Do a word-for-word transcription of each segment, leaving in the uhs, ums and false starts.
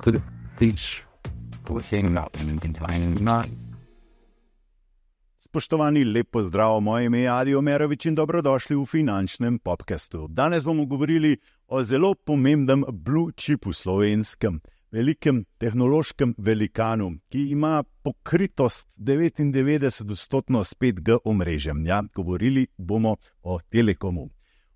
could teach thing up in time not. Spoštovani, lep pozdrav, moje ime je Adi Omerovič in dobrodošli v finančnem podcastu. Danes bomo govorili o zelo pomembnem blue chipu slovenskem, velikem tehnološkem velikanu, ki ima pokritost devetindevetdeset odstotkov s pet G omrežjem. Ja, govorili bomo o Telekomu.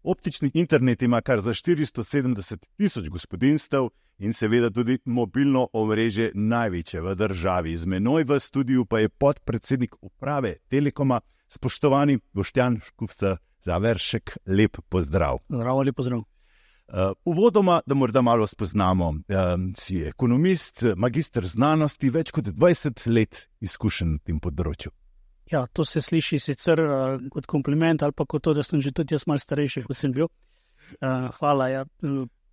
Optični internet ima kar za štiristo sedemdeset tisoč gospodinjstev in seveda tudi mobilno omrežje največje v državi. Z menoj v studiu pa je podpredsednik uprave Telekoma, spoštovani Boštjan Škufca Zaveršek. Lep pozdrav. Zdravo, lep pozdrav. Uh, uvodoma, da morda malo spoznamo, uh, si ekonomist, magister znanosti, več kot dvajset let izkušen na tem področju. Ja, to se sliši sicer uh, kot kompliment ali pa kot to, da sem že tudi jaz malo starejši, kot sem bil. Uh, hvala. Ja.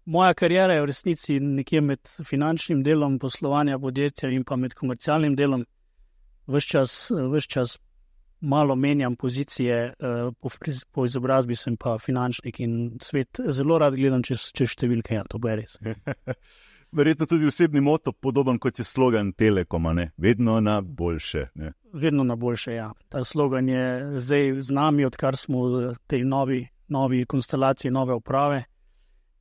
Moja kariera je v resnici nekje med finančnim delom poslovanja podjetja in pa med komercialnim delom. Ves čas, ves čas malo menjam pozicije, uh, po, po izobrazbi sem pa finančnik in svet zelo rad gledam čez, čez številke, ja, to bo res. Verjetno tudi osebni moto, podoben kot je slogan Telekoma, ne? Vedno na boljše. Ne? Vedno na boljše, ja. Ta slogan je zdaj z nami, odkar smo v tej novi, novi konstelaciji, nove uprave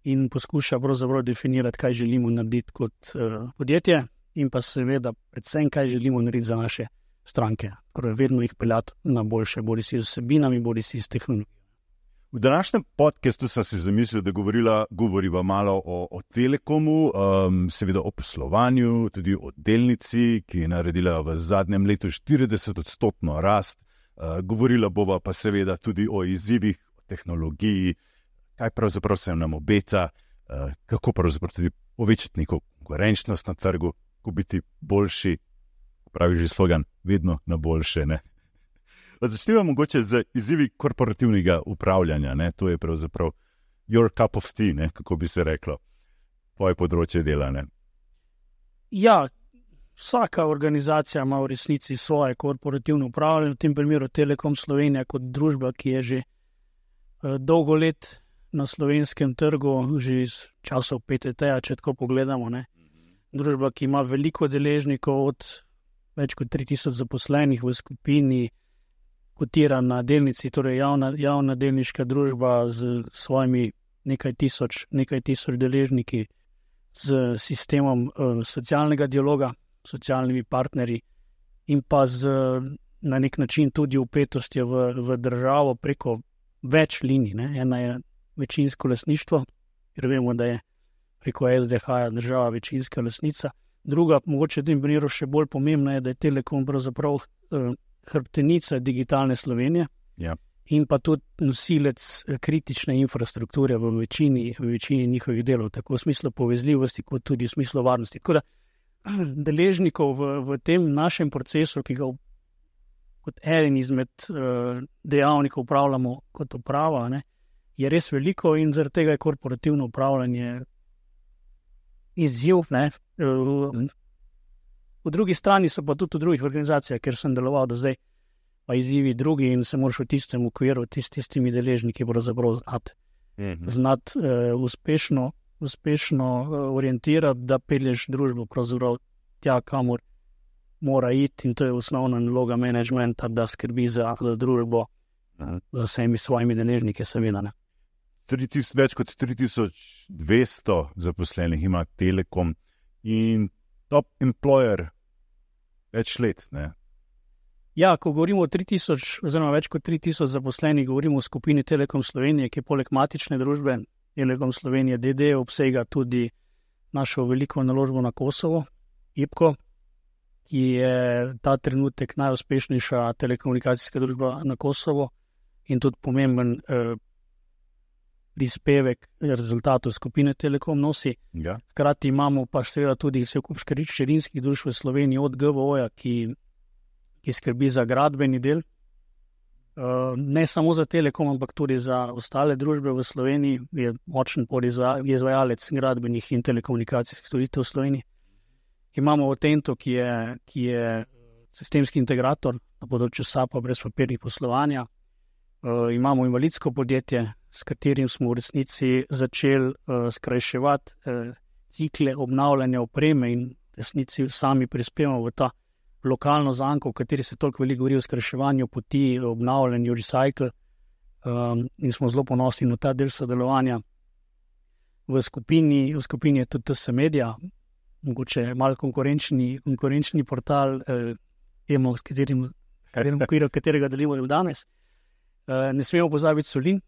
in poskuša pravzaprav definirati, kaj želimo narediti kot uh, podjetje in pa seveda predvsem, kaj želimo narediti za naše stranke. Torej vedno jih peljati na boljše, bodi si z vsebinami, bodi si z tehnologijo. V današnjem podcastu sem si zamislil, da govorila, govoriva malo o, o Telekomu, um, seveda o poslovanju, tudi o delnici, ki je naredila v zadnjem letu štirideset odstotno rast. Uh, govorila bova pa seveda tudi o izzivih, o tehnologiji, kaj pravzaprav se nam obeta, uh, kako pravzaprav tudi povečati neko konkurenčnost na trgu, kako biti boljši, pravi že slogan, vedno na boljše, ne? Začnemo mogoče z izzivi korporativnega upravljanja. Ne? To je pravzaprav your cup of tea, ne? Kako bi se reklo, tvoje področje dela. Ne? Ja, vsaka organizacija ima v resnici svoje korporativno upravljanje, v tem primeru Telekom Slovenija kot družba, ki je že uh, dolgo let na slovenskem trgu, že iz časov P T T-ja, če tako pogledamo. Ne? Družba, ki ima veliko deležnikov, od več kot tri tisoč zaposlenih v skupini, kotira na delnici, torej javna, javna delniška družba z svojimi nekaj tisoč, nekaj tisoč deležniki, z sistemom uh, socialnega dialoga, socialnimi partnerji in pa z na nek način tudi vpetostjo v, v državo preko več linij. Ne? Ena je večinsko lastništvo, ker vemo, da je preko S D H-ja država večinska lastnica. Druga, mogoče v tem primeru še bolj pomembna, je, da je Telekom pravzaprav uh, hrbtenica digitalne Slovenije, ja. In pa tudi nosilec kritične infrastrukture v večini, v večini njihovih delov, tako v smislu povezljivosti, kot tudi v smislu varnosti. Tako da deležnikov v, v tem našem procesu, ki ga kot eden izmed uh, dejavnikov upravljamo kot uprava, ne, je res veliko in zaradi tega je korporativno upravljanje izziv, ne, uh, V drugi strani so pa tudi v drugih organizacijah, ker sem deloval do zdaj, pa izzivi drugi in se moraš v tistem okviru tist, tistimi deležniki pravzaprav znati, mm-hmm. znati uh, uspešno, uspešno uh, orientirati, da pelješ družbo pravzaprav tja, kamor mora iti, in to je osnovna naloga menedžmenta, da skrbi za, za družbo, uh, za vsemi svojimi deležniki, seveda. Več kot tri tisoč dvesto zaposlenih ima Telekom in top employer več let, ne? Ja, ko govorimo o tri tisoč, oziroma več kot tri tisoč zaposlenih, govorimo o skupini Telekom Slovenije, ki poleg matične družbe Telekom Slovenije D D obsega tudi našo veliko naložbo na Kosovo, I P K O, ki je ta trenutek najuspešnejša telekomunikacijska družba na Kosovo in tudi pomemben eh, prispevek rezultatov skupine Telekom nosi. Ja. Hkrati imamo pa seveda tudi vse kup hčerinskih družb v Sloveniji od G V O-ja, ki, ki skrbi za gradbeni del. Uh, ne samo za Telekom, ampak tudi za ostale družbe v Sloveniji. Je močen podizvajalec gradbenih in telekomunikacijskih storitev v Sloveniji. Imamo Otento, ki je, ki je sistemski integrator na področju S A P-a brez papirnih poslovanja. Uh, imamo invalidsko podjetje, s katerim smo v resnici začeli uh, skrajševati uh, cikle obnavljanja opreme in resnici sami prispevamo v ta lokalno zanko, v kateri se toliko veliko govori o skrajševanju poti, obnavljanju, recycle, um, in smo zelo ponosni na ta del sodelovanja. V skupini, v skupini je tudi T S Media, mogoče malo konkurenčni, konkurenčni portal, eh, temo, s katerim, katerim okviru, katerega delimo danes. Eh, ne smemo pozabiti Solin,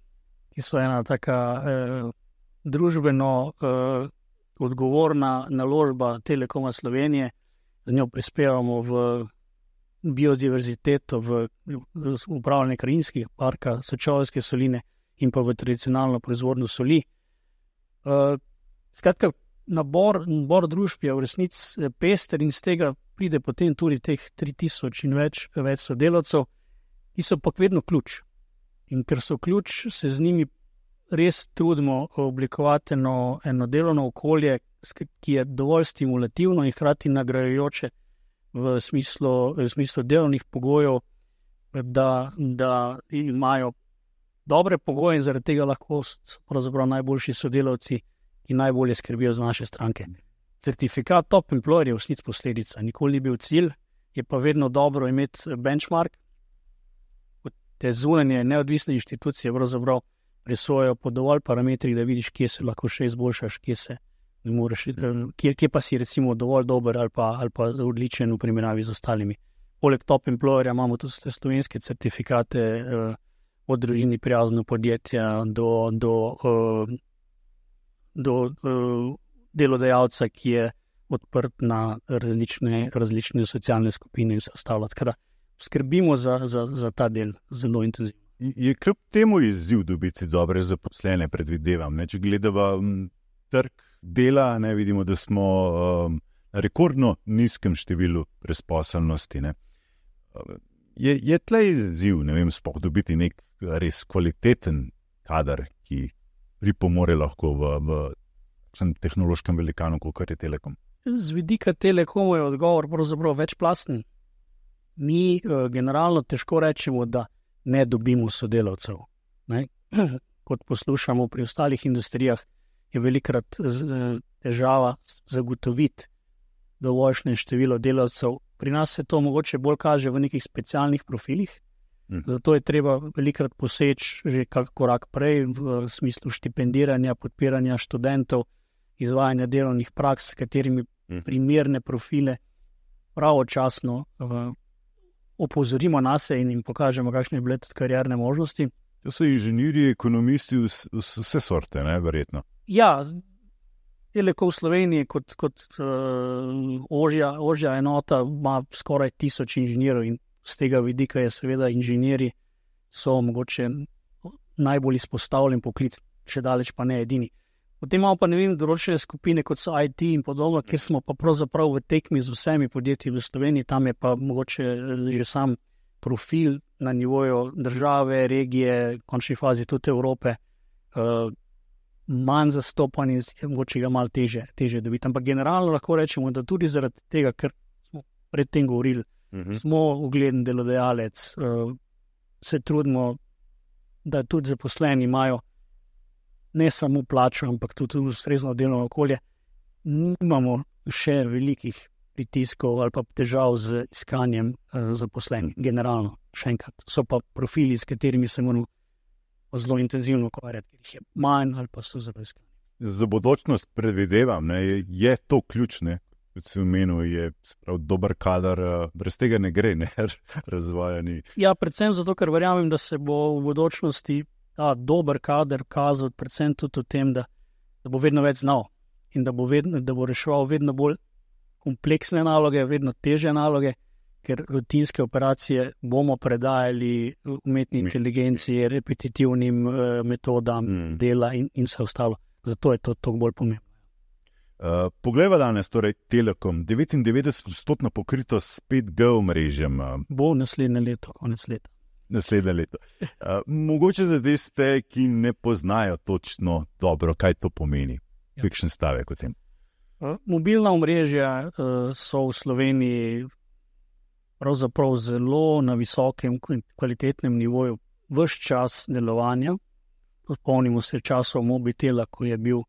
ki so ena taka eh, družbeno eh, odgovorna naložba Telekoma Slovenije. Z njo prispevamo v biodiverziteto, v, v upravljanje krajinskih parka, Sečoveljske soline in pa v tradicionalno proizvodnjo soli. Uh, skratka, nabor, nabor družb je v resnici pester in z tega pride potem tudi teh tri tisoč in več, več sodelavcev, ki so pa vedno ključ. In ker so ključ, se z njimi res trudimo oblikovati eno, eno delovno okolje, ki je dovolj stimulativno in hkrati nagrajujoče v smislu, v smislu delovnih pogojev, da, da imajo dobre pogoje in zaradi tega lahko so pravzaprav najboljši sodelavci, ki najbolje skrbijo za naše stranke. Certifikat Top Employer je v resnici posledica, nikoli ni bil cilj, je pa vedno dobro imeti benchmark. Te zunanje neodvisne inštitucije pravzaprav presojajo po dovolj parametrih, da vidiš, kje se lahko še izboljšaš, kje se ne moreš, kje, kje pa si recimo dovolj dober ali pa, ali pa odličen v primerjavi z ostalimi. Poleg Top Employerja imamo tudi slovenske certifikate eh, od družini prijazno podjetja do, do, uh, do uh, delodajalca, ki je odprt na različne, različne socialne skupine in vse ostalo. Tako da skrbimo za, za, za ta del zelo intenzivno. Je kljub temu izziv dobiti dobre zaposlene, predvidevam. Ne? Če gledava m, trg dela, ne vidimo, da smo um, na rekordno nizkem številu brezposelnosti. Ne? Je, je tle izziv, ne vem, sploh dobiti nek res kvaliteten kader, ki pripomore lahko v, v tehnološkem velikanu, kot je Telekom. Z vidika Telekoma je odgovor pravzaprav večplasten. Mi uh, generalno težko rečemo, da ne dobimo sodelavcev. Ne? Kot poslušamo pri ostalih industrijah, je velikrat uh, težava zagotoviti dovoljšne število delavcev. Pri nas se to mogoče bolj kaže v nekih specialnih profilih, mm. zato je treba velikrat poseči že kak korak prej v smislu štipendiranja, podpiranja študentov, izvajanja delovnih praks, s katerimi mm. primerne profile pravočasno uh, opozorimo nase in jim pokažemo, kakšne bile tudi karierne možnosti. To so inženirji, ekonomisti, vse sorte, ne, verjetno. Ja, Telekom Slovenije kot, kot uh, ožja, ožja enota ima skoraj tisoč inženirjev in z tega vidika je seveda inženirji so mogoče najbolj izpostavljen poklic, še daleč pa ne edini. Potem imamo pa ne vem, določene skupine, kot so I T in podobno, kjer smo pa pravzaprav v tekmi z vsemi podjetji v Sloveniji, tam je pa mogoče že sam profil na nivoju države, regije, v končni fazi tudi Evrope, uh, manj zastopan in mogoče ga malo teže, teže dobiti. Ampak generalno lahko rečemo, da tudi zaradi tega, ker smo predtem govorili, uh-huh. smo ugleden delodajalec, uh, se trudimo, da tudi zaposleni imajo ne samo plačo, ampak tudi ustrezno delovno okolje. Nimamo še velikih pritiskov ali pa težav z iskanjem uh, zaposlenih, generalno, še enkrat. So pa profili, s katerimi se moramo zelo intenzivno ukvarjati, ker jih je manj ali pa so zelo iskani. Za bodočnost predvidevam, ne, je, je to ključne, kot si omenil, je prav dober kadar, brez tega ne gre, ne, razvajani. Ja, predvsem zato, ker verjamem, da se bo v bodočnosti ta dober kader kazal predvsem tudi v tem, da, da bo vedno več znal in da bo, vedno, da bo reševal vedno bolj kompleksne naloge, vedno težje naloge, ker rutinske operacije bomo predajali umetni inteligenciji, repetitivnim uh, metodam mm. dela in, in vse ostalo. Zato je to toliko bolj pomembno. Uh, Poglejva danes, torej Telekom, devetindevetdeset odstotna pokritost s pet G omrežjem. Uh, Bo naslednje leto, konec leta. Naslednje leto. Uh, mogoče za tiste, ki ne poznajo točno dobro, kaj to pomeni. Ja. Kakšen stavek o tem? Uh, mobilna omrežja uh, so v Sloveniji pravzaprav zelo na visokem kvalitetnem nivoju vse čas delovanja. Spomnimo se časov Mobitela, ko je bil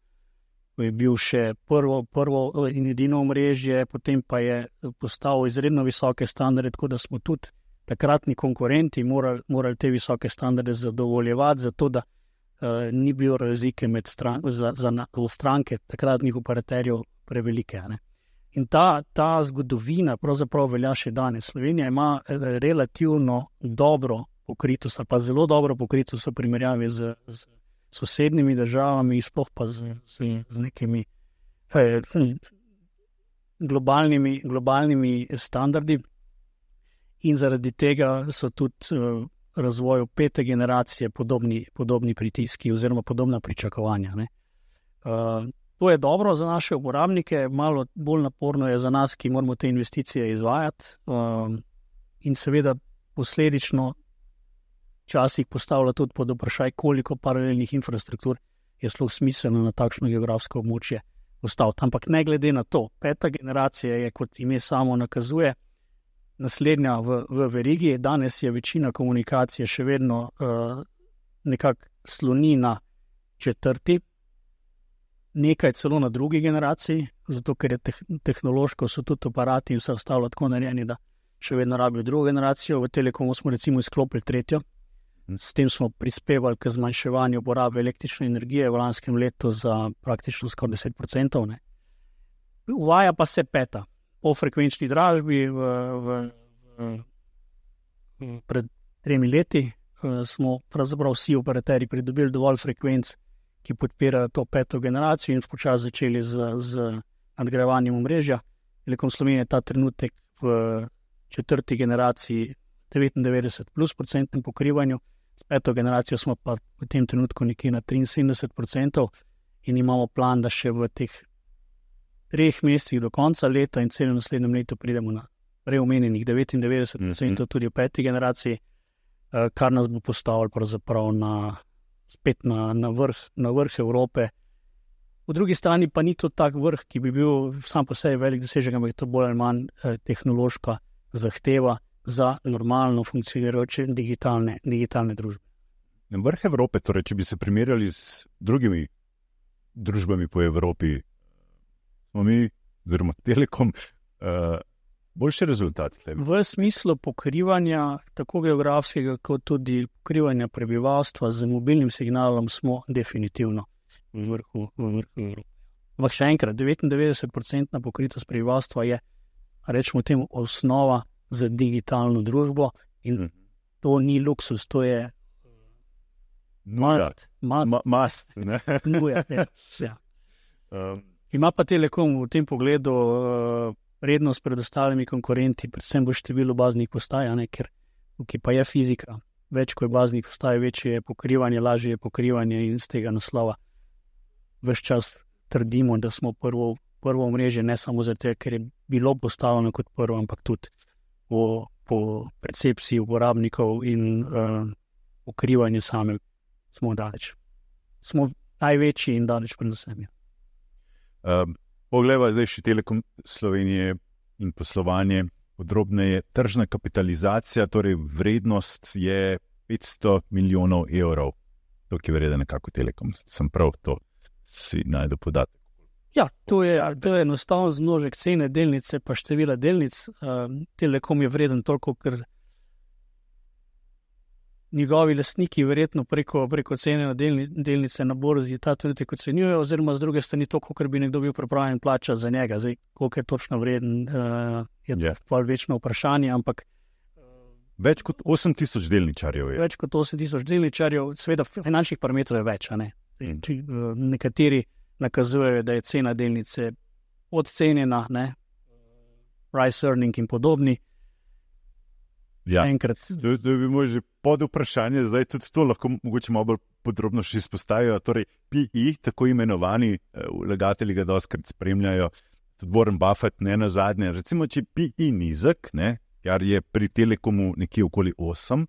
ko je bil še prvo, prvo in edino omrežje, potem pa je postavil izredno visoke standarde, tako da smo tudi takratni konkurenti morali, morali te visoke standarde zadovoljevati, zato da uh, ni bilo razlike med stran, za, za, za stranke takratnih operaterjev prevelike. Ne? In ta, ta zgodovina pravzaprav velja še danes. Slovenija ima relativno dobro pokritost, ali pa zelo dobro pokritost v primerjavi z, z sosednjimi državami, sploh pa z, z, z nekimi eh, globalnimi, globalnimi standardi. In zaradi tega so tudi uh, razvoju pete generacije podobni, podobni pritiski oziroma podobna pričakovanja. Ne? Uh, to je dobro za naše uporabnike, malo bolj naporno je za nas, ki moramo te investicije izvajati uh, in seveda posledično včasih postavlja tudi pod vprašaj, koliko paralelnih infrastruktur je sploh smiselno na takšno geografsko območje postaviti. Ampak ne glede na to, peta generacija je, kot ime samo nakazuje, naslednja v, v verigi. Danes je večina komunikacije še vedno uh, nekako sloni na četrti, nekaj celo na drugi generaciji, zato ker je teh, tehnološko so tudi aparati in vse ostalo tako narejeni, da še vedno rabijo drugo generacijo. V Telekomu smo recimo izklopili tretjo. S tem smo prispevali k zmanjševanju porabe električne energije v lanskem letu za praktično skoraj deset procentov. Ne. Uvaja pa se peta. Po frekvenčni dražbi v, v, v, v, pred tremi leti uh, smo pravzaprav vsi operaterji pridobili dovolj frekvenc, ki podpirajo to peto generacijo in počasi začeli z, z nadgrajevanjem omrežja. Telekom Slovenije je ta trenutek v četrti generaciji devetindevetdeset plus procentnem pokrivanju, s peto generacijo smo pa v tem trenutku nekje na triinsedemdeset procentov in imamo plan, da še v teh treh mesecih do konca leta in celem naslednjem letu pridemo na preomenjenih devetindevetdeset procentov mm-hmm. tudi v peti generaciji, kar nas bo postavilo pravzaprav na, spet na, na, vrh, na vrh Evrope. Po drugi strani pa ni to tak vrh, ki bi bil sam po sebi velik dosežek, ampak je to bolj ali manj eh, tehnološka zahteva za normalno funkcionirajoče digitalne, digitalne družbe. Vrh Evrope, torej, če bi se primerjali z drugimi družbami po Evropi, smo mi, oziroma Telekom, uh, boljši rezultat. V smislu pokrivanja tako geografskega, kot tudi pokrivanja prebivalstva z mobilnim signalom smo definitivno v vrhu, v vrhu Evrope. Ampak še enkrat, devetindevetdeset procentna pokritost prebivalstva je, rečemo temu, osnova za digitalno družbo in hmm. to ni luksus, to je must. Must. Ma, must Nuja, ja. Ja. Um. Ima pa Telekom v tem pogledu uh, prednost pred ostalimi konkurenti, predvsem v številu baznih postaj, ne, ker tukaj pa je fizika. Več ko je baznih postaj, večje je pokrivanje, lažje je pokrivanje in z tega naslova ves čas trdimo, da smo prvo, prvo omrežje, ne samo zato, ker je bilo postavljeno kot prvo, ampak tudi po, po percepciji uporabnikov in uh, pokrivanju same smo daleč. Smo največji in daleč predvsem. Um, Poglejva zdaj še Telekom Slovenije in poslovanje podrobneje. Tržna kapitalizacija, torej vrednost je petsto milijonov evrov. To, ki vrede nekako Telekom. Sem prav, to si najdu podatek. Ja, to je, to je enostavno zmnožek cene delnice pa števila delnic. Um, Telekom je vreden toliko, ker njegovi lastniki verjetno preko, preko cene na delni, delnice na borzi ta trenutek ocenjujejo, oziroma z druge strani to, koliko bi nekdo bil pripravljen plačati za njega. Zdaj, koliko je točno vreden, uh, je to yeah. večno vprašanje, ampak več kot osem tisoč delničarjev je. Več kot osem tisoč delničarjev, seveda finančnih parametrov je več, a ne? Mm. Či, uh, nekateri nakazujejo, da je cena delnice podcenjena, ne? Price earning in podobni. Ja, to, to bi bilo že pod vprašanje, zdaj tudi to lahko mogoče malo bolj podrobno še izpostavijo. Torej, P E, tako imenovani vlagatelji ga dostikrat spremljajo, tudi Warren Buffett, ne na zadnje. Recimo, če P E nizek, ne, kar je pri Telekomu nekje okoli osem,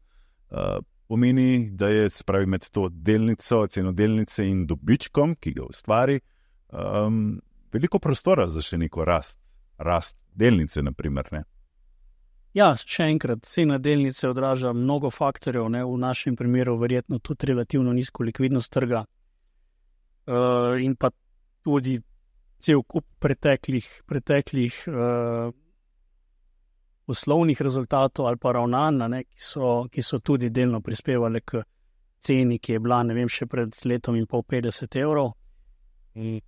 uh, pomeni, da je, se pravi, med to delnico, ceno delnice in dobičkom, ki ga ustvari, um, veliko prostora za še neko rast, rast delnice, na primer, ne. Ja, še enkrat, cena delnice odraža mnogo faktorjev, ne, v našem primeru verjetno tudi relativno nizko likvidnost trga uh, in pa tudi cel kup preteklih, preteklih uh, poslovnih rezultatov ali pa ravnanj, ne, ki, so, ki so tudi delno prispevali k ceni, ki je bila, ne vem, še pred letom in pol petdeset evrov. In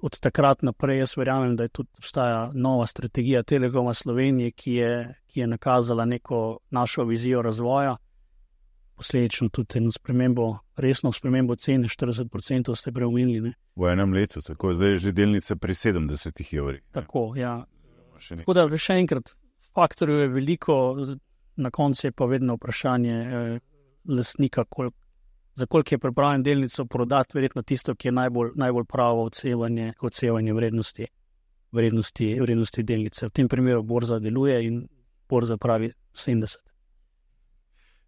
od takrat naprej jaz verjamem, da je tudi obstaja nova strategija Telekoma Slovenije, ki je, ki je nakazala neko našo vizijo razvoja, posledično tudi eno spremembo, resno spremembo cene, štirideset procentov ste preumili. V enem letu, tako zdaj je že delnice pri sedemdesetih evrih. Tako, ja. Tako da še enkrat, faktorjev je veliko, na koncu je pa vedno vprašanje eh, lastnika, koliko za koliko je pripravljen delnico prodati, verjetno tisto, ki je najbolj, najbolj pravo odsevanje, odsevanje vrednosti, vrednosti, vrednosti delnice. V tem primeru borza deluje in borza pravi sedemdeset.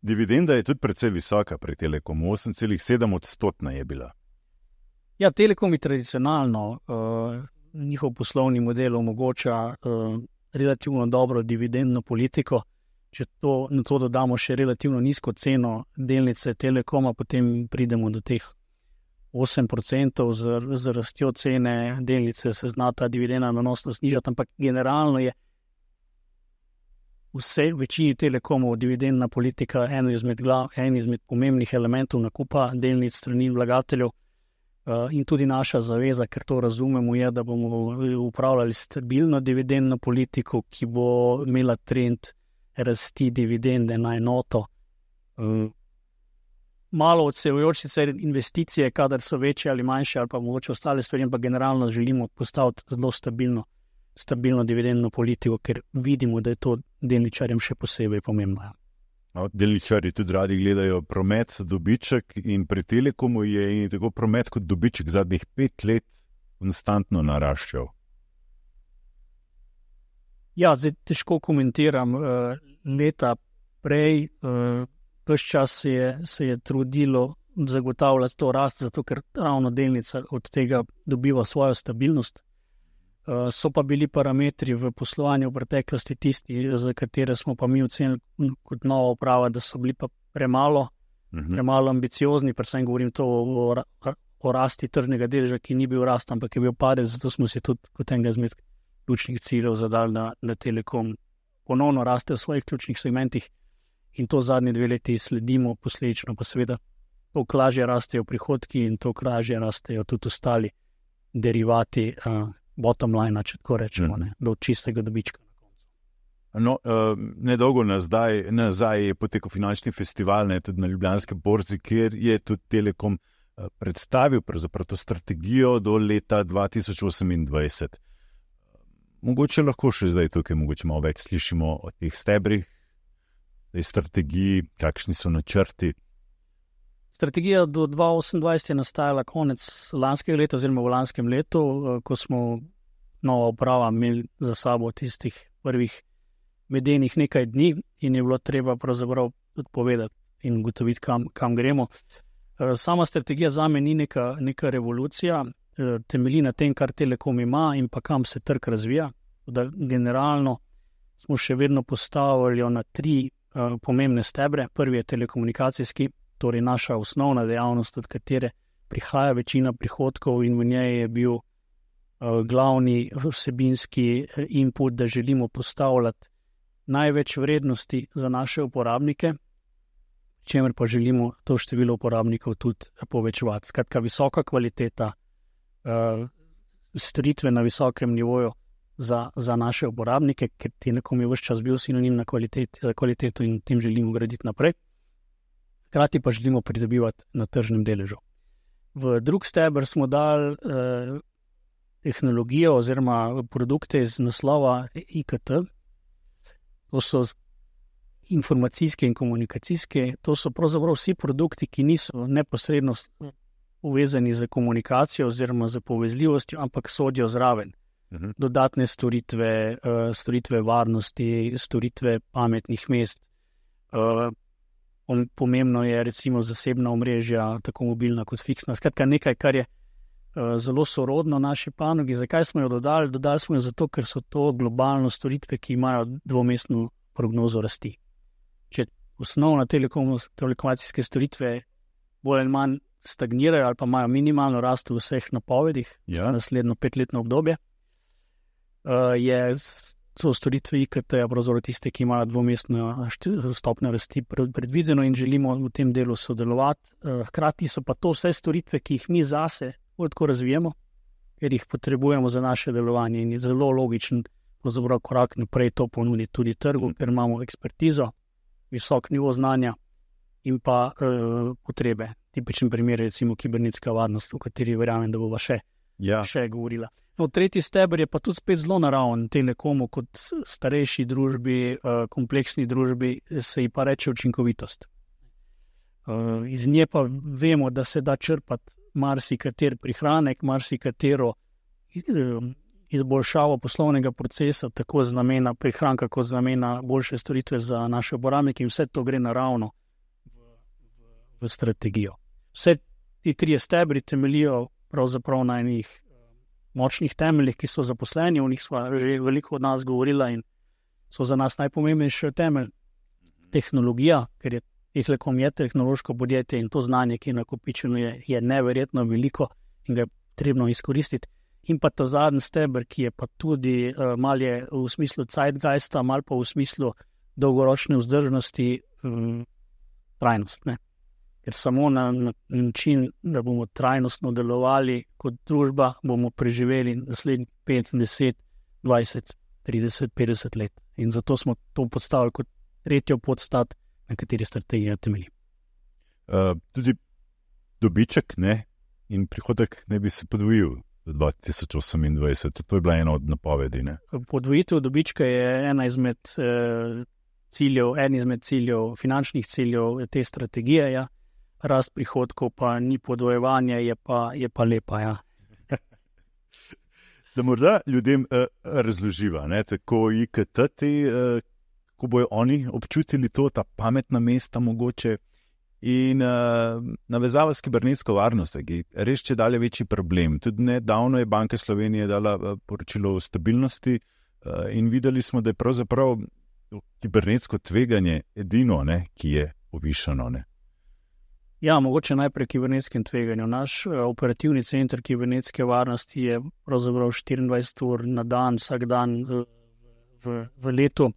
Dividenda je tudi precej visoka pri Telekomu, osem celih sedem odstotna je bila. Ja, Telekom je tradicionalno, uh, njihov poslovni model omogoča uh, relativno dobro dividendno politiko. Če to, na to dodamo še relativno nizko ceno delnice Telekoma, potem pridemo do teh osem procentov z, z rastjo cene delnice, se zna ta dividenda nanosno snižati, ampak generalno je vse večini Telekomov dividendna politika eno izmed, glav, en izmed pomembnih elementov nakupa delnic strani vlagateljev uh, in tudi naša zaveza, ker to razumemo, je, da bomo upravljali stabilno dividendno politiko, ki bo imela trend rasti dividende na enoto. Uh, malo odsevajoče se investicije, kadar so večje ali manjše, ali pa mogoče ostale stvari, pa generalno želimo postaviti zelo stabilno, stabilno dividendno politiko, ker vidimo, da je to delničarjem še posebej pomembno. No, delničarji tudi radi gledajo promet, dobiček in pri Telekomu je in tako promet kot dobiček zadnjih pet let konstantno naraščal. Ja, zdaj težko komentiram. Leta prej, ves čas se je, se je trudilo zagotavljati to rast, zato ker ravno delnica od tega dobiva svojo stabilnost. So pa bili parametri v poslovanju v preteklosti tisti, za katere smo pa mi ocenili kot nova uprava, da so bili pa premalo, mhm. premalo ambiciozni, predvsem govorim to o, o, o rasti tržnega deleža, ki ni bil rast, ampak je bil padec, zato smo si tudi kot enega izmed ključnih ciljev zadali, da, da Telekom ponovno raste v svojih ključnih segmentih in to zadnje dve leti sledimo, posledično pa seveda toliko lažje rastejo prihodki in toliko lažje rastejo tudi ostali derivati uh, bottom line, če tako rečemo, mm. ne, do čistega dobička. No, uh, nedolgo nazaj, nazaj je potekal finančni festival, ne, tudi na Ljubljanski borzi, kjer je tudi Telekom uh, predstavil pravzaprav to strategijo do leta dva tisoč osemindvajset. Mogoče lahko še zdaj tukaj mogoče malo več slišimo o teh stebrih, tej strategiji, kakšni so načrti. Strategija do dva tisoč osemindvajset je nastajala konec lanskega leta oziroma v lanskem letu, ko smo nova uprava imeli za sabo tistih prvih medenih nekaj dni in je bilo treba pravzaprav odpovedati in ugotoviti, kam, kam gremo. Sama strategija zame ni neka, neka revolucija, temelji na tem, kar Telekom ima in pa kam se trg razvija. Da generalno smo še vedno postavili na tri uh, pomembne stebre. Prvi je telekomunikacijski, torej naša osnovna dejavnost, od katere prihaja večina prihodkov in v njej je bil uh, glavni vsebinski input, da želimo postavljati največ vrednosti za naše uporabnike, čemer pa želimo to število uporabnikov tudi povečevati. Skratka, visoka kvaliteta, Uh, storitve na visokem nivoju za, za naše uporabnike, ker Telekom je vse čas bil sinonim na kvaliteti, za kvaliteto in tem želimo graditi naprej. Hkrati pa želimo pridobivati na tržnem deležu. V drug steber smo dali uh, tehnologijo oziroma produkte iz naslova I K T. To so informacijske in komunikacijske, to so pravzaprav vsi produkti, ki niso neposredno uvezani za komunikacijo oziroma za povezljivostjo, ampak sodijo zraven. Uh-huh. Dodatne storitve, uh, storitve varnosti, storitve pametnih mest. Uh, pomembno je recimo zasebna omrežja, tako mobilna kot fiksna. Skratka, nekaj, kar je uh, zelo sorodno naši panogi. Zakaj smo jo dodali? Dodali smo jo zato, ker so to globalno storitve, ki imajo dvomestno prognozo rasti. Če osnovna telekomunikacijske storitve bolj ali manj stagnirajo ali pa imajo minimalno rast v vseh napovedih Ja. za naslednjo petletno obdobje. Uh, je, so storitve I K T-ja pravzaprav tiste, ki imajo dvomestno št- stopnjo rasti pred- predvideno in želimo v tem delu sodelovati. Uh, hkrati so pa to vse storitve, ki jih mi zase tako razvijamo, ker jih potrebujemo za naše delovanje in je zelo logičen pravzaprav korak naprej to ponuditi tudi trgu, ker imamo ekspertizo, visok nivo znanja in pa uh, potrebe. Tipičen primer je recimo kibernetska varnost, o kateri verjamem, da bova še, Ja. še govorila. No, tretji steber je pa tudi spet zelo naraven Telekomu kot s- starejši družbi, uh, kompleksni družbi, se ji pa reče učinkovitost. Uh, iz nje pa vemo, da se da črpati marsikater prihranek, marsikatero uh, izboljšavo poslovnega procesa, tako z namena prihranka, kot z namena boljše storitve za naše uporabnike in vse to gre naravno v, v, v strategijo. Vse ti trije stebri temeljijo pravzaprav na enih eh, močnih temeljih, ki so zaposleni, o njih smo že veliko od nas govorila in so za nas najpomembnejši temelj. Tehnologija, ker je Telekom je tehnološko podjetje in to znanje, ki je nakopičeno, je, je neverjetno veliko in ga je potrebno izkoristiti. In pa ta zadnji steber, ki je pa tudi uh, mal je v smislu zeitgeista, mal pa v smislu dolgoročne vzdržnosti, um, trajnost. Ne? Ker samo na, na način, da bomo trajnostno delovali kot družba, bomo preživeli naslednjih pet, deset, dvajset, trideset, petdeset let. In zato smo to postavili kot tretjo podstat, na kateri strategija temelji. Uh, tudi dobiček ne, in prihodek ne bi se podvojil do dva tisoč osemindvajset. To je bila ena od napovedi. Ne? Podvojitev dobička je ena izmed eh, ciljev, en izmed ciljev, finančnih ciljev te strategije. Ja. Rast prihodkov pa ni podvojevanje, je pa, je pa lepa. Ja. Da morda ljudem uh, razloživa, ne, tako I K T, te, uh, ko bojo oni občutili to, ta pametna mesta mogoče in uh, navezava s kibernetsko varnostjo, ki je res če dalje večji problem. Tudi nedavno je Banka Slovenije dala uh, poročilo o stabilnosti uh, in videli smo, da je pravzaprav kibernetsko tveganje edino, ne, ki je povišano. Ne. Ja, mogoče najprej kibernetskem tveganju. Naš uh, operativni center kibernetske varnosti je pravzaprav štiriindvajset ur na dan, vsak dan uh, v, v letu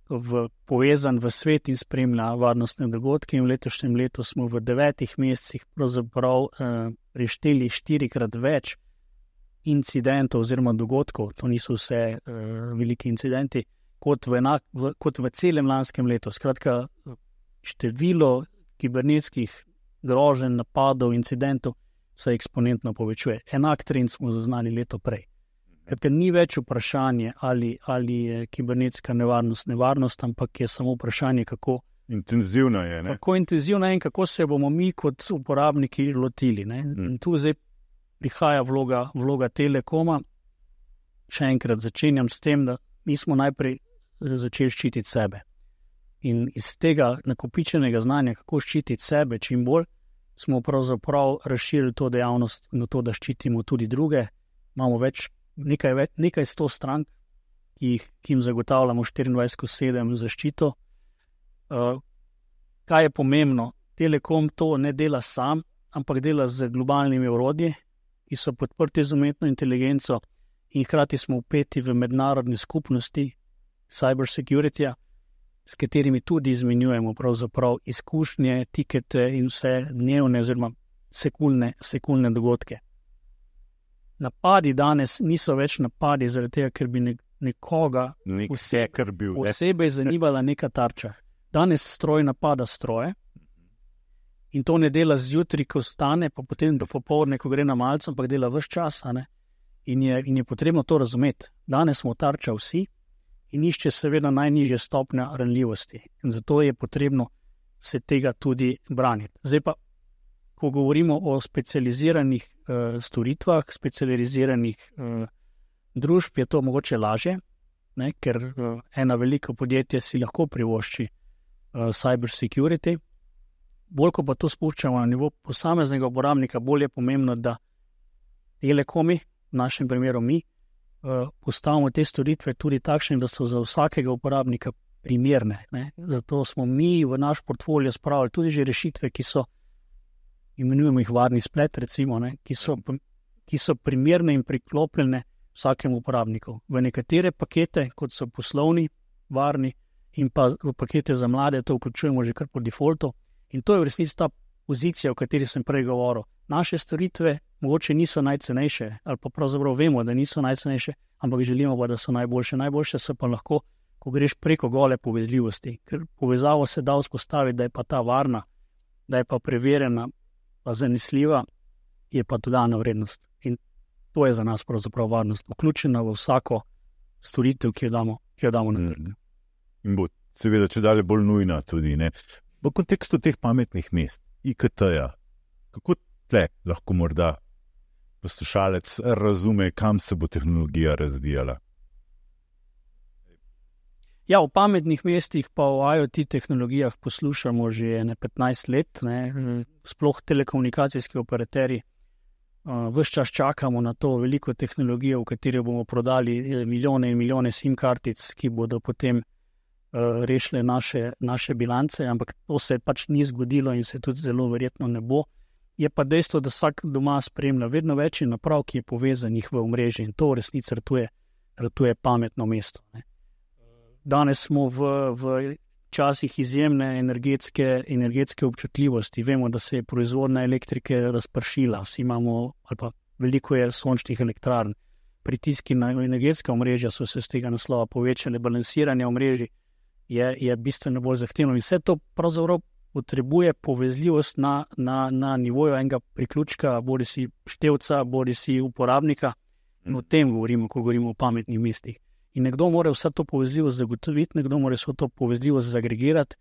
v, povezan v svet in spremlja varnostne dogodke. In v letošnjem letu smo v devetih mesecih pravzaprav uh, prešteli štirikrat več incidentov oziroma dogodkov, to niso vse uh, veliki incidenti, kot v, enak, v, kot v celem lanskem letu. Skratka, število kibernetskih groženj, napadov, incidentov se eksponentno povečuje. Enak trend smo zaznali leto prej. Ker ni več vprašanje, ali, ali je kibernetska nevarnost nevarnost, ampak je samo vprašanje, kako intenzivno je. Ne? Kako intenzivno je in kako se bomo mi kot uporabniki lotili. Ne? Mm. In tu zdaj prihaja vloga, vloga Telekoma. Še enkrat začenjam s tem, da mi smo najprej začeli ščititi sebe. In iz tega nakopičenega znanja, kako ščititi sebe čim bolj, smo pravzaprav razširili to dejavnost na to, da ščitimo tudi druge. Imamo več, nekaj, več, nekaj sto strank, ki, jih, ki jim zagotavljamo štiriindvajset skozi sedem zaščito. Uh, kaj je pomembno? Telekom to ne dela sam, ampak dela z globalnimi orodji, ki so podprti z umetno inteligenco in hkrati smo vpeti v mednarodne skupnosti cyber security-ja, s katerimi tudi izmenjujemo pravzaprav izkušnje, tikete in vse dnevne oziroma sekundne, sekundne dogodke. Napadi danes niso več napadi zaradi tega, ker bi nekoga Nek vse, kar bil. posebej zanimala neka tarča. Danes stroj napada stroje in to ne dela zjutraj, ko vstane, pa potem do popoldne, ko gre na malce, ampak dela ves čas. Ne? In, je, in je potrebno to razumeti. Danes smo tarča vsi in išče seveda najnižje stopnja ranljivosti. In zato je potrebno se tega tudi braniti. Zdaj pa, ko govorimo o specializiranih uh, storitvah, specializiranih uh, družb, je to mogoče lažje, ne? Ker uh, ena velika podjetja si lahko privošči uh, cyber security. Bolj, ko pa to spuščamo na nivo posameznega uporabnika, bolj je pomembno, da Telekomi, v našem primeru mi, postavimo te storitve tudi takšne, da so za vsakega uporabnika primerne. Ne? Zato smo mi v naš portfolio spravili tudi že rešitve, ki so imenujemo jih varni splet, recimo, ne, ki, so, ki so primerne in priklopljene vsakemu uporabniku. V nekatere pakete, kot so poslovni, varni, in pa v pakete za mlade, to vključujemo že kar po defaultu. In to je v resnici ta pozicija, o kateri sem prej govoril. Naše storitve mogoče niso najcenejše, ali pa pravzaprav vemo, da niso najcenejše, ampak želimo pa, da so najboljše. Najboljše so pa lahko, ko greš preko gole povezljivosti, ker povezavo se da vzpostaviti, da je pa ta varna, da je pa preverjena, pa zanesljiva, je pa dodana vrednost. In to je za nas pravzaprav varnost, vključena v vsako storitev, ki jo damo, ki jo damo na trg. In bo seveda če dalje bolj nujna tudi, ne. V kontekstu teh pametnih mest, I K T-ja, kako tle lahko morda poslušalec razume, kam se bo tehnologija razvijala? Ja, v pametnih mestih pa v IoT tehnologijah poslušamo že ne petnajst let, ne, sploh telekomunikacijski operaterji. Uh, ves čas čakamo na to veliko tehnologijo, v kateri bomo prodali milijone in milijone SIM-kartic, ki bodo potem uh, rešile naše, naše bilance, ampak to se pač ni zgodilo in se tudi zelo verjetno ne bo. Je pa dejstvo, da vsak doma spremlja vedno več naprav, ki je povezanih v omrežje in to v resnici ratuje, ratuje pametno mesto, ne. Danes smo v, v časih izjemne energetske, energetske občutljivosti. Vemo, da se je proizvodnja elektrike razpršila. Vsi imamo, ali pa veliko je sončnih elektrarn. Pritiski na energetska omrežja so se z tega naslova povečali. Balansiranje omrežij je, je bistveno bolj zahtevno. In vse to pravzaprav potrebuje povezljivost na, na, na nivoju enega priključka, bodi si števca, bodi si uporabnika. In o tem govorimo, ko govorimo o pametnih mestih. In nekdo mora vse to povezljivost zagotoviti, nekdo mora vse to povezljivost zagregirati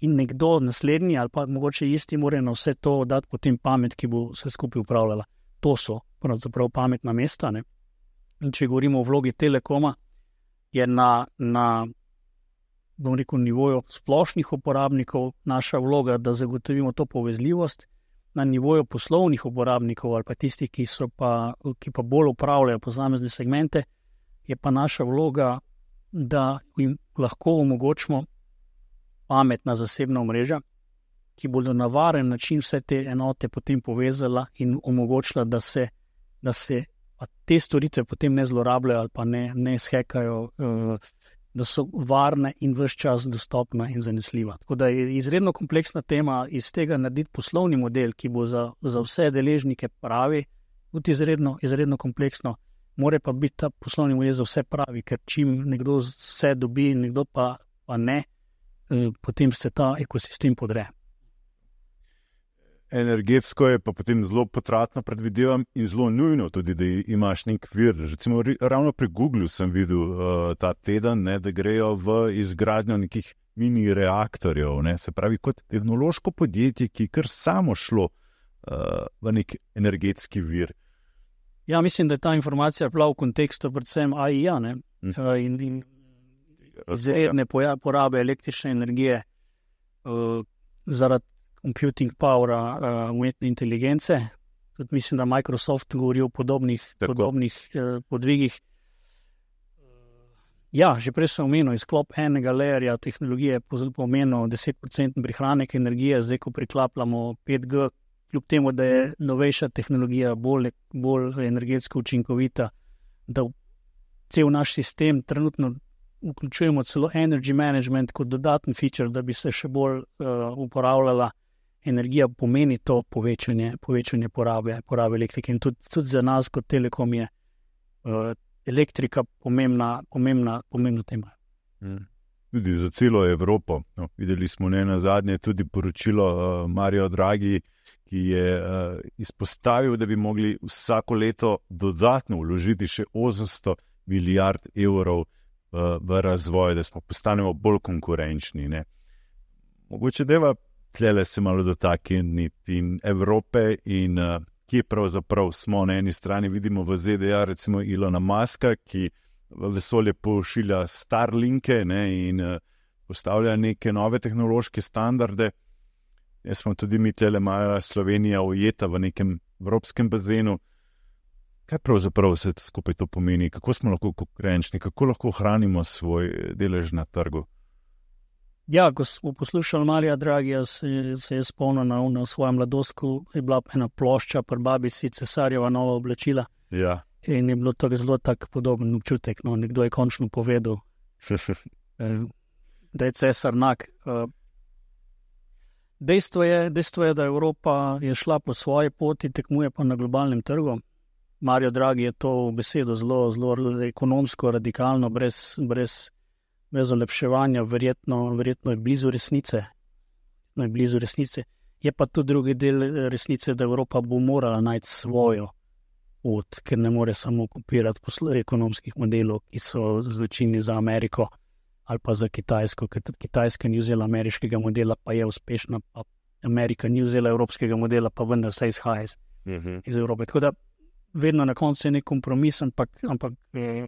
in nekdo naslednji ali pa mogoče isti mora na vse to dati potem pamet, ki bo vse skupaj upravljala. To so pravzaprav pametna mesta, ne. In če govorimo o vlogi Telekoma, je na, na bom rekel, nivoju splošnih uporabnikov naša vloga, da zagotovimo to povezljivost, na nivoju poslovnih uporabnikov ali pa tistih, ki so pa, ki pa bolj upravljajo posamezne segmente, je pa naša vloga, da jim lahko omogočimo pametna zasebna omrežja, ki bodo na varen način vse te enote potem povezala in omogočila, da se, da se te storitve potem ne zlorabljajo ali pa ne, ne shekajo, da so varne in ves čas dostopna in zanesljiva. Tako da je izredno kompleksna tema iz tega narediti poslovni model, ki bo za, za vse deležnike pravi, tudi izredno, izredno kompleksno. More pa biti ta poslovni model za vse pravi, ker čim nekdo vse dobi, nekdo pa, pa ne, potem se ta ekosistem podre. Energetsko je pa potem zelo potratno, predvidevam, in zelo nujno tudi, da imaš nek vir. Recimo, ravno pri Googlu sem videl uh, ta teden, ne, da grejo v izgradnjo nekih mini reaktorjev, ne, se pravi kot tehnološko podjetje, ki je kar samo šlo uh, v nek energetski vir. Ja, mislim, da je ta informacija bila v kontekstu predvsem A I-ja, ne, uh, in, in izredne porabe električne energije uh, zaradi computing powera uh, umetne inteligence. Tudi mislim, da Microsoft govori o podobnih, podobnih uh, podvigih. Ja, že prej sem omenil, izklop enega layerja tehnologije pomenil deset procentov prihranek energije, zdaj ko priklapljamo pet G, kljub temu, da je novejša tehnologija bolj, bolj energetsko učinkovita, da cel naš sistem trenutno vključujemo celo energy management kot dodaten feature, da bi se še bolj uh, uporabljala energija, pomeni to povečanje, povečanje porabe, porabe elektrike. In tudi, tudi za nas kot Telekom je uh, elektrika pomembna, pomembna, pomembna tema. Hmm. Tudi za celo Evropo. No, videli smo ne nazadnje tudi poročilo uh, Mario Draghi, ki je uh, izpostavil, da bi mogli vsako leto dodatno vložiti še osemsto milijard evrov uh, v razvoj, da smo postanemo bolj konkurenčni, ne. Mogoče deva tlele se malo dotakniti in Evrope in uh, kje pravzaprav smo. Na eni strani vidimo v Z D A recimo Elona Muska, ki v vesolje pošilja Starlinke, ne, in uh, postavlja neke nove tehnološke standarde. Jaz smo tudi mi tlele mala Slovenija ujeta v nekem evropskem bazenu. Kaj pravzaprav se skupaj to pomeni? Kako smo lahko konkurenčni? Kako lahko ohranimo svoj delež na trgu? Ja, ko smo poslušali Marija Dragija, se, se je spomnil na, na svojem mladostku, je bila ena plošča pri babici Cesarjeva nova oblačila. Ja. In je bilo tako zelo tak podoben občutek. No, nekdo je končno povedal, da je cesar nag. Dejstvo je, dejstvo je, da Evropa je šla po svoji poti, tekmuje pa na globalnem trgu. Mario Draghi je to besedo zelo, zelo ekonomsko, radikalno, brez, brez brez olepševanja, verjetno, verjetno je blizu resnice. No, je blizu resnice. Je pa tudi drugi del resnice, da Evropa bo morala najti svojo pot, ker ne more samo kopirati poslo- ekonomskih modelov, ki so značilni za Ameriko ali pa za Kitajsko, ker tudi Kitajska ni vzela ameriškega modela, pa je uspešna, pa Amerika ni vzela evropskega modela, pa vendar vse izhaja iz, Mhm. iz Evrope. Tako da vedno na koncu je nek kompromis, ampak, ampak eh,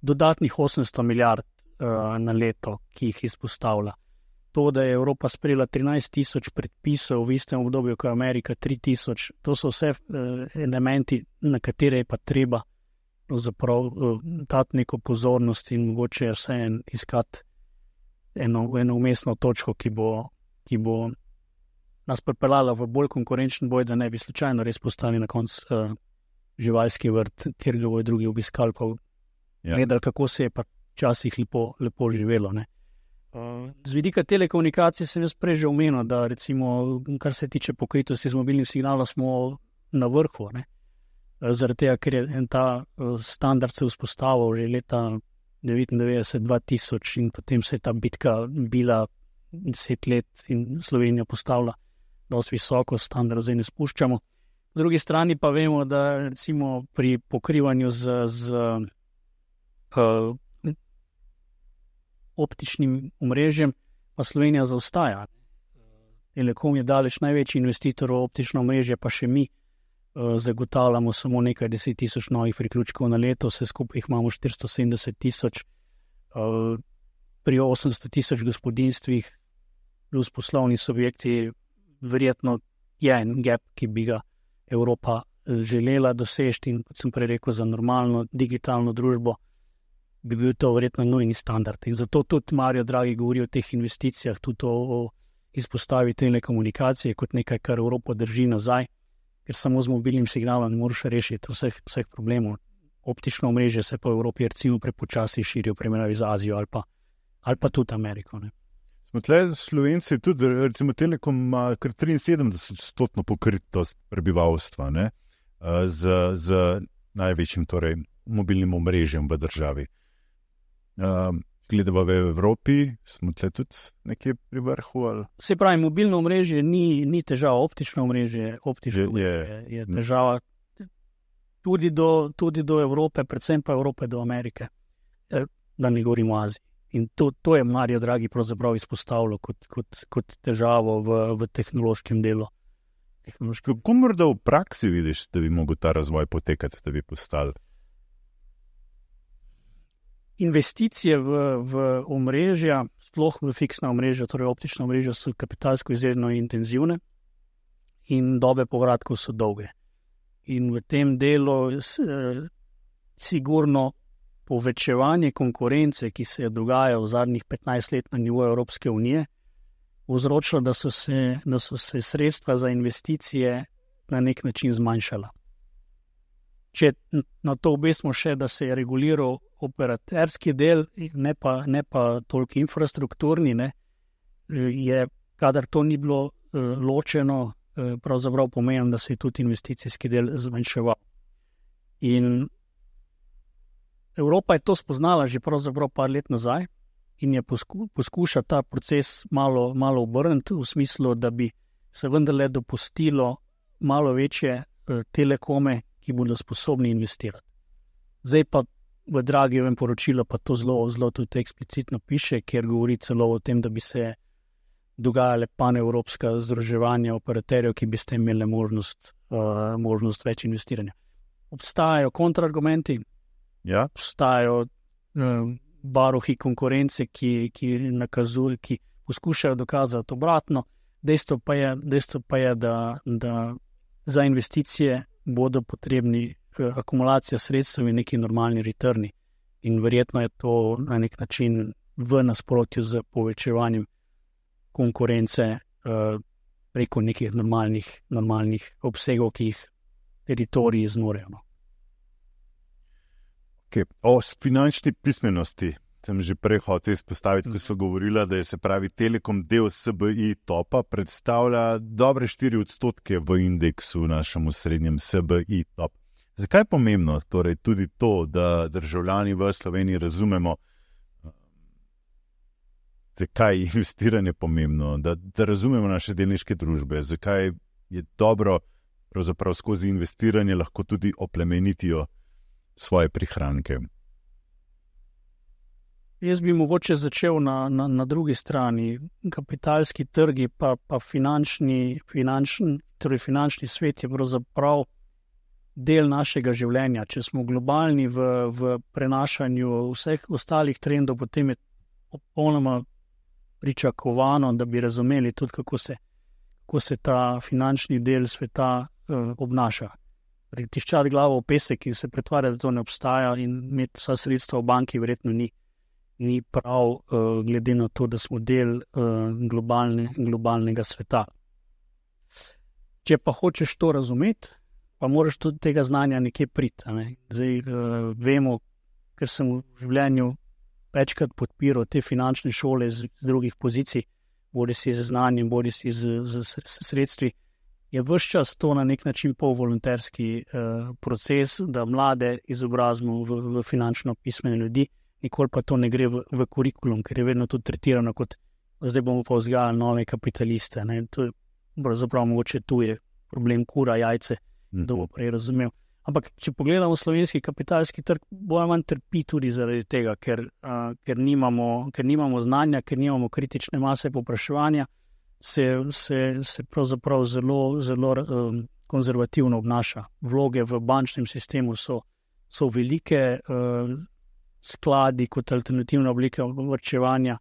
dodatnih osemsto milijard na leto, ki jih izpostavlja. To, da je Evropa sprejela trinajst tisoč predpisov v istem obdobju, kot je Amerika tri tisoč, to so vse elementi, na katere je pa treba pravzaprav dati neko pozornost in mogoče vse en iskati eno, eno umestno točko, ki bo, ki bo nas pripeljala v bolj konkurenčen boj, da ne bi slučajno res postali na koncu uh, živalski vrt, kjer ga bojo drugi obiskali, pa Ja. gledali, kako se je pa včasih lepo, lepo živelo. Ne. Uh, z vidika telekomunikacij sem jaz prej že omenil, da recimo, kar se tiče pokritosti z mobilnim signalom, smo na vrhu. Ne. Uh, zaradi tega, ker je en ta uh, standard se vzpostavil že leta devetindevetdeset dva tisoč in potem se je ta bitka bila deset let in Slovenija postavila dosti visoko standard, zdaj ne spuščamo. Po drugi strani pa vemo, da recimo pri pokrivanju z, z uh, optičnim omrežjem pa Slovenija zaostaja. Telekom je daleč največji investitor v optično omrežje, pa še mi uh, zagotavljamo samo nekaj deset tisoč novih priključkov na leto, vse skupaj jih imamo štiristo sedemdeset tisoč, uh, pri osemsto tisoč gospodinstvih plus poslovni subjekti, verjetno je en gap, ki bi ga Evropa želela doseči in, kot sem prej rekel, za normalno digitalno družbo bi bil to verjetno nujni standard. In zato tudi Mario Draghi govori o teh investicijah, tudi o, o izpostavi telekomunikacije kot nekaj, kar Evropo drži nazaj, ker samo z mobilnim signalom ne moreš rešiti vseh, vseh problemov. Optično omrežje se po Evropi recimo prepočasi širi v primerjavi z Azijo ali pa, ali pa tudi Ameriko. Ne. Smo tle Slovenci tudi, recimo Telekom ima kar triinsedemdeset odstotno pokritost prebivalstva, ne, z, z največjim torej, mobilnim omrežjem v državi. Uh, Gledava v Evropi, smo tle tudi nekje pri vrhu? Ali? Se pravi, mobilno omrežje ni, ni težava, optično omrežje, optično Je- omrežje je- je, je težava tudi do, tudi do Evrope, predvsem pa Evrope do Amerike, eh, da ne govorimo o Aziji. In to, to je Mario Draghi pravzaprav izpostavljal kot, kot, kot težavo v, v tehnološkem delu. Tehnološkem. Kako morda v praksi vidiš, da bi mogel ta razvoj potekati, da bi postali? Investicije v, v omrežja, sploh v fiksna omrežja, torej optična omrežja, so kapitalsko izredno intenzivne in dobe povratkov so dolge. In v tem delu s, eh, sigurno povečevanje konkurence, ki se je dogajalo v zadnjih petnajst let na nivoju Evropske unije, povzročilo, da so se, da so se sredstva za investicije na nek način zmanjšala. Če na to obesmo še, da se je reguliral operaterski del, ne pa, ne pa toliko infrastrukturni, ne, je, kadar to ni bilo uh, ločeno, uh, pravzaprav pomeni, da se je tudi investicijski del zmanjševal. In Evropa je to spoznala že pravzaprav par let nazaj in je posku, poskuša ta proces malo, malo obrniti v smislu, da bi se vendarle dopustilo malo večje uh, telekome, ki bodo sposobni investirati. Zdaj pa v Draghijevem poročilu pa to zelo, zelo tudi eksplicitno piše, kjer govori celo o tem, da bi se dogajale panevropska združevanja operaterjev, ki bi s tem imeli možnost, uh, možnost več investiranja. Obstajajo kontraargumenti, Ja? obstajajo uh, varuhi konkurence, ki, ki nakazujejo, ki poskušajo dokazati obratno. Dejstvo pa je, dejstvo pa je da, da za investicije bodo potrebni akumulacija sredstev in neki normalni returni. In verjetno je to na nek način v nasprotju z povečevanjem konkurence uh, preko nekih normalnih, normalnih obsegov, ki jih teritoriji zmorejo. No. Okay. O finančni pismenosti sem že prej hotel izpostaviti, ko so govorila, da je se pravi Telekom del S B I topa, predstavlja dobre štiri odstotke v indeksu našemu srednjem S B I top. Zakaj je pomembno torej tudi to, da državljani v Sloveniji razumemo, zakaj je investiranje pomembno, da, da razumemo naše delniške družbe, zakaj je dobro pravzaprav skozi investiranje lahko tudi oplemenitijo svoje prihranke? Jaz bi mogoče začel na, na, na drugi strani. Kapitalski trgi pa, pa finančni, finančni, torej finančni svet je pravzaprav del našega življenja. Če smo globalni v, v prenašanju vseh ostalih trendov, potem je popolnoma pričakovano, da bi razumeli tudi, kako se, kako se ta finančni del sveta uh, obnaša. Tiščati glavo v pesek in se pretvarjati, da to ne obstaja in imeti vsa sredstva v banki verjetno ni. ni prav, uh, glede na to, da smo del uh, globalne, globalnega sveta. Če pa hočeš to razumeti, pa moraš tudi tega znanja nekje priti. Ne? Zdaj uh, vemo, ker sem v življenju večkrat podpiral te finančne šole z, z drugih pozicij, bodi si z znanjem, bodi si z, z, z sredstvi, je ves čas to na nek način polvolonterski uh, proces, da mlade izobrazimo v, v finančno pismene ljudi, nikoli pa to ne gre v, v kurikulum, ker je vedno to tretirano kot, zdaj bomo pa vzgajali nove kapitaliste. Ne? To je pravzaprav mogoče tu je problem kura, jajce, kdo bo prej razumel. Ampak, če pogledamo slovenski kapitalski trg, bolj manj trpi tudi zaradi tega, ker, uh, ker, nimamo, ker nimamo znanja, ker nimamo kritične mase povpraševanja, se, se, se pravzaprav zelo, zelo um, konzervativno obnaša. Vloge v bančnem sistemu so, so velike, uh, skladi kot alternativna oblika varčevanja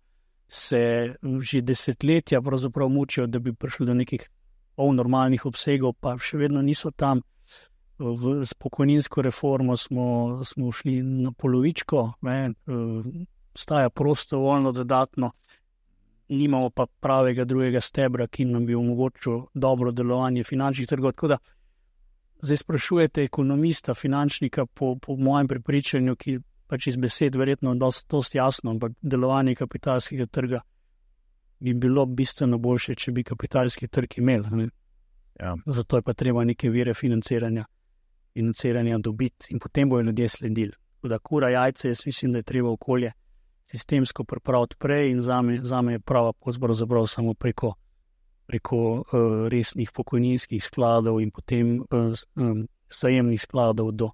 se že desetletja pravzaprav mučijo, da bi prišli do nekih polnormalnih obsegov, pa še vedno niso tam. V, s pokojninsko reformo smo, smo šli na polovičko, ne, staja prostovoljno dodatno, nimamo pa pravega drugega stebra, ki nam bi omogočil dobro delovanje finančnih trgov. Tako da zdaj sprašujete ekonomista, finančnika, po, po mojem prepričanju, ki pač iz besed verjetno dost, dost jasno, ampak delovanje kapitalskega trga bi bilo bistveno boljše, če bi kapitalski trg imel. Ja. Zato je pa treba neke vire financiranja, financiranja dobiti in potem bojo ljudje sledili. Da kura jajce, jaz mislim, da je treba okolje sistemsko pripraviti prej in zame, zame je prava pravzaprav samo preko, preko uh, resnih pokojninskih skladov in potem uh, um, zajemnih skladov do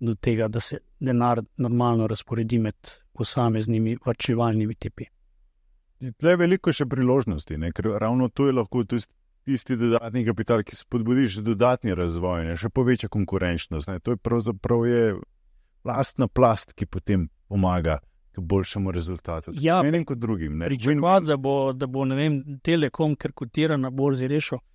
do tega, da se denar normalno razporedi med posameznimi varčevalnimi tipi. Tle je veliko še priložnosti, ne? Ker ravno to je lahko tisti dodatni kapital, ki spodbudi še dodatni razvoj, ne? Še poveča konkurenčnost. Ne? To je pravzaprav je lastna plast, ki potem pomaga k boljšemu rezultatu. Ja, enim kot drugim. Pričakovati, da bo, da bo ne vem, Telekom, ker kotira na borzi, rešil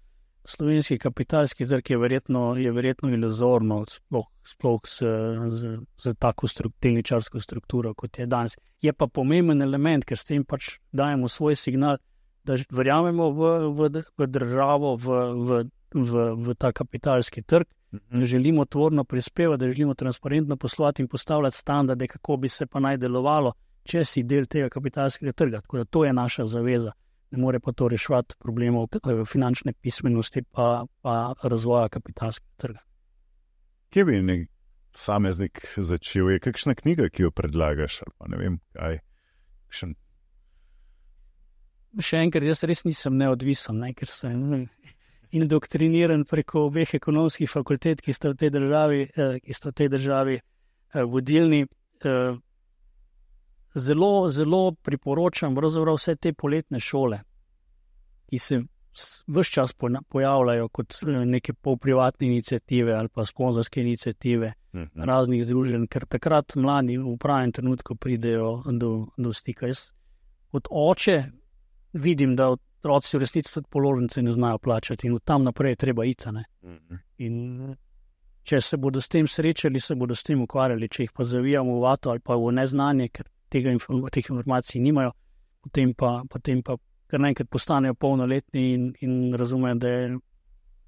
slovenski kapitalski trg, je verjetno, je verjetno iluzorno, sploh, sploh z, z, z tako struk, delničarsko strukturo, kot je danes. Je pa pomemben element, ker s tem pač dajemo svoj signal, da verjamemo v, v, v državo, v, v, v, v ta kapitalski trg, da želimo tvorno prispevati, da želimo transparentno poslovati in postavljati standarde, kako bi se pa naj delovalo, če si del tega kapitalskega trga. Tako da to je naša zaveza. Ne more pa to reševati problemov finančne pismenosti pa, pa razvoja kapitalskega trga. Kje bi nek posameznik začel? Je kakšna knjiga, ki jo predlagaš? Pa ne vem, kaj. Kakšen... Še enkrat, jaz res nisem neodvisen, ne, ker sem indoktriniran preko obeh ekonomskih fakultet, ki sta v tej državi, ki sta v tej državi vodilni. Zelo, zelo priporočam vse te poletne šole, ki se ves čas pojavljajo kot neke polprivatne iniciative ali pa sponzorske iniciative mm-hmm. raznih združenj, ker takrat mladi v pravem trenutku pridejo do, do stika. Jaz kot oče vidim, da otroci v resnici tudi položnice ne znajo plačati in od tam naprej je treba iti. Mm-hmm. In če se bodo s tem srečali, se bodo s tem ukvarjali, če jih pa zavijamo v vato ali pa v neznanje, ker tega inform teh informacij nimajo, potem pa, potem pa kar naenkrat postanejo polnoletni in, in razumejo, da je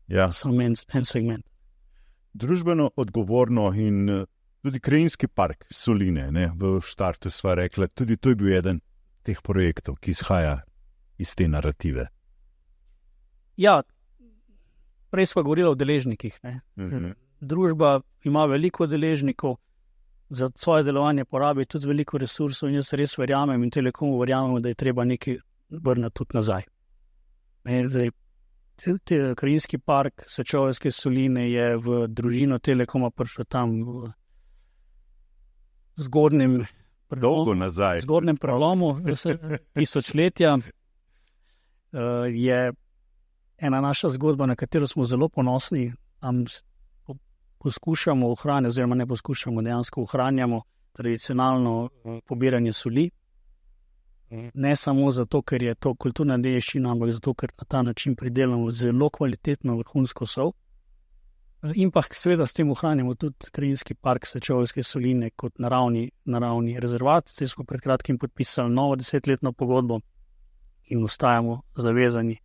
Ja. samo en, en segment. Družbeno odgovorno in eh, tudi krajinski park Soline, ne, v štartu sva rekla, tudi to je bil eden teh projektov, ki izhaja iz te narative. Ja, prej smo govorili o deležnikih. Ne. Mhm. Družba ima veliko deležnikov, za svoje delovanje porabi tudi veliko resursov in jaz res verjamem in Telekomu verjamemo, da je treba nekaj vrniti tudi nazaj. Ne, zdaj, te, te, krajinski park Sečoveljske Soline je v družino Telekoma prišel tam v zgodnjem Dolgo nazaj. zgodnem prelomu tisočletja. Uh, je ena naša zgodba, na katero smo zelo ponosni. Tam poskušamo ohranjati, oziroma ne poskušamo, dejansko ohranjamo tradicionalno uh, pobiranje soli. Ne samo zato, ker je to kulturna dediščina, ampak zato, ker na ta način pridelamo zelo kvalitetno vrhunsko sol. In pa seveda s tem ohranjamo tudi krajinski park Sečoveljske Soline kot naravni, naravni rezervat. Zdaj smo pred kratkim podpisali novo desetletno pogodbo in ostajamo zavezani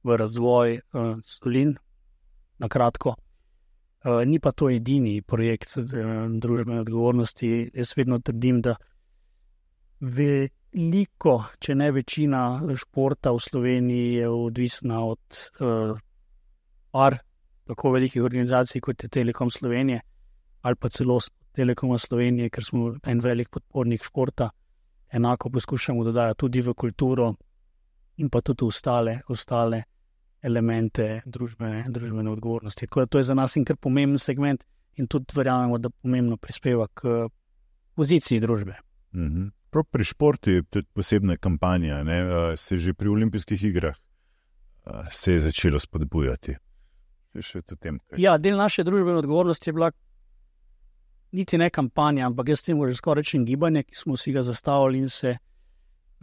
v razvoj uh, Solin, na kratko. Uh, ni pa to edini projekt uh, družbene odgovornosti. Jaz vedno trdim, da veliko, če ne večina športa v Sloveniji je odvisna od uh, par tako velikih organizacij, kot je Telekom Slovenije, ali pa celo Telekoma Slovenije, ker smo en velik podpornik športa. Enako poskušamo dodajati tudi v kulturo in pa tudi ostale, ostale elemente družbene, družbene odgovornosti. Tako da to je za nas in kar pomemben segment in tudi verjamemo, da pomembno prispeva k poziciji družbe. Mhm. Prav pri športu je tudi posebna kampanja, ne? Se že pri olimpijskih igrah se je začelo spodbujati. Še v tem, kaj... Ja, del naše družbene odgovornosti je bila niti ne kampanja, ampak jaz temu že skoraj rečem gibanje, ki smo si ga zastavili in se,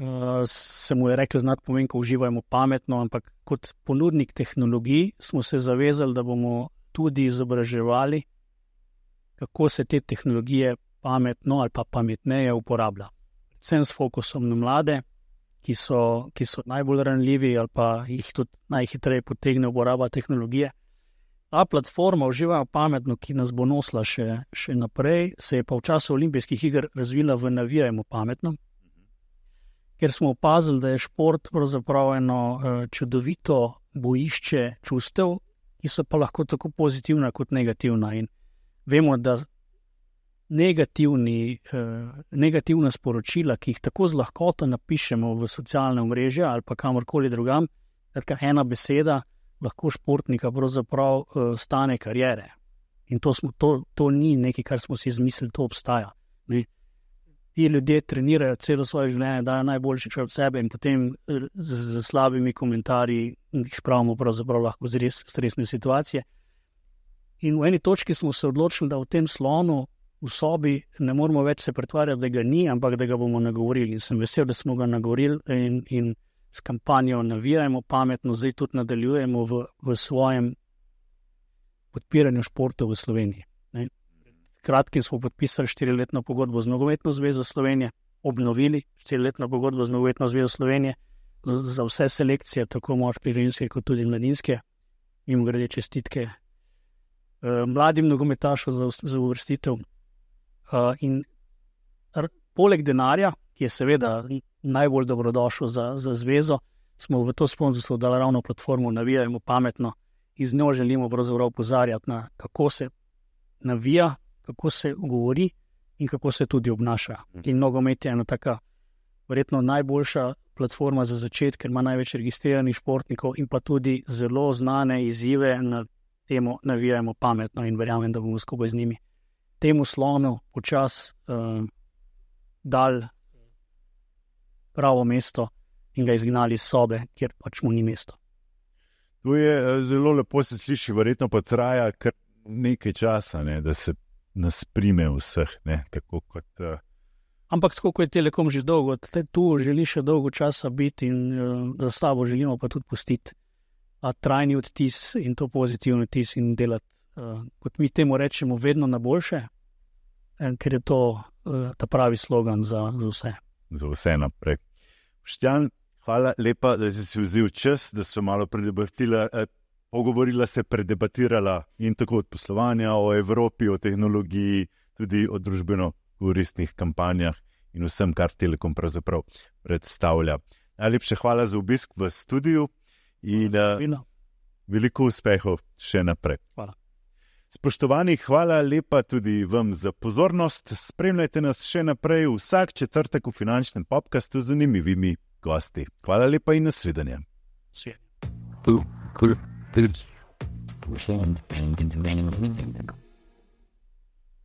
uh, se mu je rekel znati pomen, ko uživajmo pametno, ampak kot ponudnik tehnologij smo se zavezali, da bomo tudi izobraževali, kako se te tehnologije pametno ali pa pametneje uporablja. Predvsem s fokusom na mlade, ki so, ki so najbolj ranljivi ali pa jih tudi najhitreje potegne uporaba tehnologije. Ta platforma Uživajmo pametno, ki nas bo nosila še, še naprej, se je pa v času olimpijskih iger razvila v Navijajmo pametno, ker smo opazili, da je šport pravzaprav eno uh, čudovito bojišče čustev, ki so pa lahko tako pozitivna kot negativna. In vemo, da negativni, uh, negativna sporočila, ki jih tako z lahkoto napišemo v socialne omrežja ali pa kamorkoli drugam, taka ena beseda lahko športnika pravzaprav uh, stane karijere. In to, smo, to, to ni nekaj, kar smo si izmislili, to obstaja. Ne? Ti ljudje trenirajo celo svoje življenje, dajo najboljši čas od sebe in potem z, z slabimi komentarji jih spravimo pravzaprav lahko z res stresne situacije. In v eni točki smo se odločili, da v tem slonu v sobi ne moramo več se pretvarjati, da ga ni, ampak da ga bomo nagovorili. In sem vesel, da smo ga nagovorili in, in s kampanjo Navijajmo pametno, zdaj tudi nadaljujemo v, v svojem podpiranju športa v Sloveniji. Ne. Kratkim smo podpisali štiriletno pogodbo z Nogometno zvezo Slovenije, obnovili štiriletno pogodbo z Nogometno zvezo Slovenije za vse selekcije, tako moške, ženske, kot tudi mladinske. Mimo grede čestitke uh, mladim nogometašom za, za uvrstitev. Uh, in r, poleg denarja, ki je seveda najbolj dobrodošel za, za zvezo, smo v to sponzorstvo dali ravno platformo Navijajmo pametno in z njo želimo pravzaprav opozarjati na kako se navija, kako se govori in kako se tudi obnaša. In nogomet je ena taka verjetno najboljša platforma za začetek, ker ima največ registriranih športnikov in pa tudi zelo znane izzive na temo Navijajmo pametno in verjamem, da bomo skupaj z njimi temu slonu počas uh, dal pravo mesto in ga izgnali iz sobe, kjer pač mu ni mesto. To je zelo lepo se sliši, verjetno pa traja kar nekaj časa, ne, da se nas prime vseh, ne, tako kot... Uh... Ampak tako kot je Telekom že dolgo, tu želi še dolgo časa biti in uh, za sabo želimo pa tudi pustiti a trajni odtis in to pozitivni odtis in delati, uh, kot mi temu rečemo, vedno na boljše, ker je to ta pravi slogan za, za vse. Za vse naprej. Boštjan, hvala lepa, da si si vzel čas, da so malo predebatila, eh, pogovorila se, predebatirala in tako od poslovanja, o Evropi, o tehnologiji, tudi o družbeno koristnih kampanjah in vsem, kar Telekom pravzaprav predstavlja. Najlepša hvala za obisk v studiu in uh, veliko uspehov še naprej. Hvala. Spoštovani, hvala lepa tudi vam za pozornost. Spremljajte nas še naprej vsak četrtek v finančnem podcastu z zanimivimi gosti. Hvala lepa in nasvidenje. Svidenje. Cool. Cool. Cool.